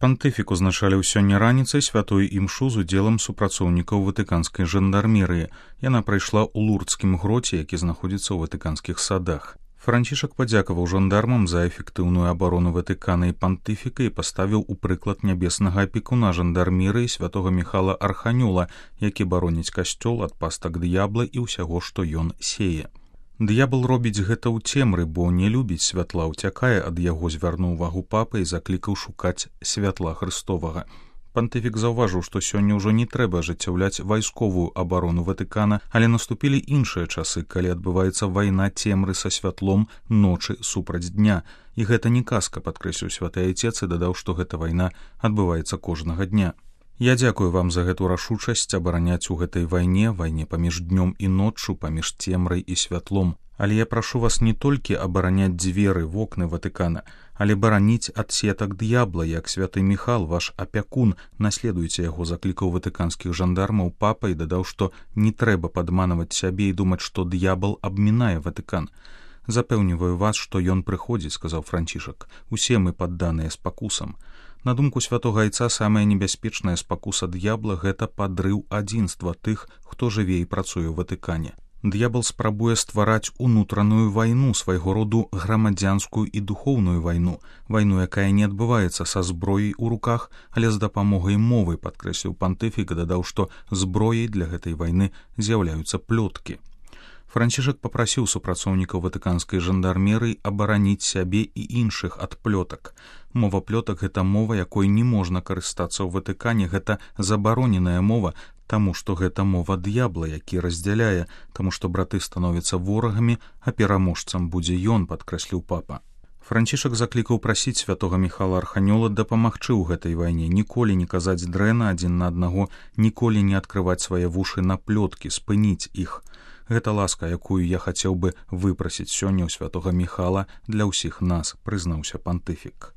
Пантыфік узначаліў сёння раніцай святую імшу з удзелам супрацоўнікаў ватыканскай жандармерыі. Яна прайшла ў лурдскім гроце, які знаходзіцца ў ватыканскіх садах. Францішак падзякаваў жандармам за эфектыўную абарону Ватыкана і пантыфіка і паставіў у прыклад нябеснага апекуна жандармерыі святога Міхала Арханёла, які бароніць касцёл ад пастак д'ябла і ўсяго, што ён сее. Д'ябл робіць гэта ў цемры, бо не любіць святла, уцякае ад яго, звярнуў увагу папа і заклікаў шукаць святла Хрыстовага. Пантыфік заўважыў, што сёння ўжо не трэба ажыццяўляць вайсковую абарону Ватыкана, але наступілі іншыя часы, калі адбываецца вайна цемры са святлом, ночы супраць дня. І гэта не казка, падкрэсліў святы айцец і дадаў, што гэта вайна адбываецца кожнага дня. Я дзякую вам за гэту рашучасць абараняць у гэтай вайне паміж днём і ноччу, паміж цемрай і святлом. Але я прашу вас не толькі абараняць дзверы, вокны Ватыкана, але бараніць ад сетак д'ябла, як святы Міхал, ваш апякун, наследуйце яго, заклікаў ватыканскіх жандармаў папа і дадаў, што не трэба падманаваць сябе і думаць, што д'ябл абмінае Ватыкан. Запэўніваю вас, што ён прыходзіць, сказаў Францішак. Усе мы падданыя спакусам. На думку святога айца, самая небяспечная спакуса д'ябла – гэта падрыў адзінства тых, хто жыве і працуе ў Ватыкане. Д'ябл спрабуе ствараць унутраную вайну, свайго роду грамадзянскую і духоўную вайну, якая не адбываецца са зброяй у руках, але з дапамогай мовы, падкрэсліў пантыфік і дадаў, што зброяй для гэтай вайны з'яўляюцца плёткі. Францішак папрасіў супрацоўнікаў ватыканскай жандармерыі абараніць сябе і іншых ад плётак. Мова плётак – гэта мова, якой не можна карыстацца ў Ватыкане, гэта забароненая мова, таму што гэта мова д'ябла, які раздзяляе, таму што браты становяцца ворагамі, а пераможцам будзе ён, падкрэсліў папа. Францішак заклікаў прасіць святога Міхала Арханёла дапамагчы ў гэтай вайне, ніколі не казаць дрэнна адзін на аднаго, ніколі не адкрываць свае вушы на плёткі, спыніць іх. Гэта ласка, якую я хацеў бы выпрасіць сёння ў святога Міхала для ўсіх нас, прызнаўся пантыфік.